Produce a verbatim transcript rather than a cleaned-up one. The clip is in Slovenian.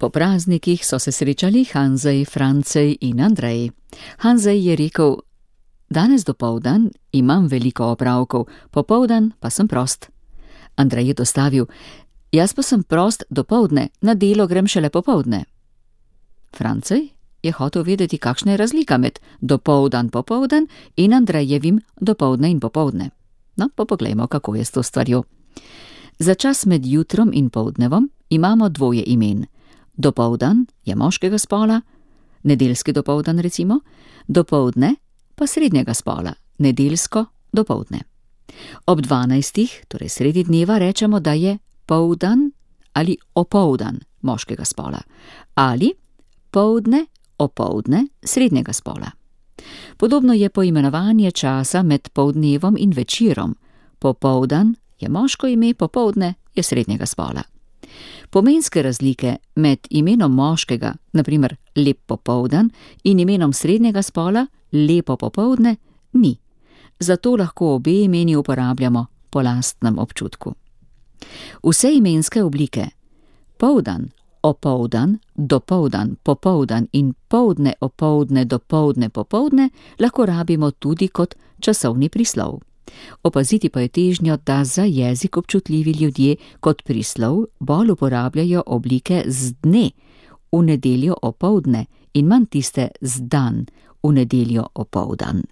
Po praznikih so se srečali Hanzej, Francej in Andrej. Hanzej je rekel: "Danes dopoldan imam veliko opravkov, popoldan pa sem prost." Andrej je dostavil: "Jaz pa sem prost dopoldne, na delo grem šele popoldne." Francej je hotel vedeti, kakšna je razlika med dopoldan popoldan in Andrejevim dopoldne in popoldne. No, pa poglejmo, kako je s to stvarjo. Za čas med jutrom in poldnevom imamo dvoje imen. Dopoldan je moškega spola, nedeljski dopoldan recimo, dopoldne pa srednjega spola, nedeljsko dopoldne. Ob dvanajstih, torej sredi dneva, rečemo, da je poldan ali opoldan moškega spola ali poldne, opoldne srednjega spola. Podobno je poimenovanje časa med poldnevom in večerom. Popoldan je moško ime, popoldne je srednjega spola. Pomenske razlike med imenom moškega, na primer lep popoldan, in imenom srednjega spola, lepo popoldne, ni. Zato lahko obe imeni uporabljamo po lastnem občutku. Vse imenske oblike poldan, opoldan, dopoldan, popoldan in poldne, opoldne, dopoldne, popoldne lahko rabimo tudi kot časovni prislov. Opaziti pa je težnjo, da za jezik občutljivi ljudje kot prislov bolj uporabljajo oblike z dne, v nedeljo opoldne, in manj tiste z dan, v nedeljo opoldan.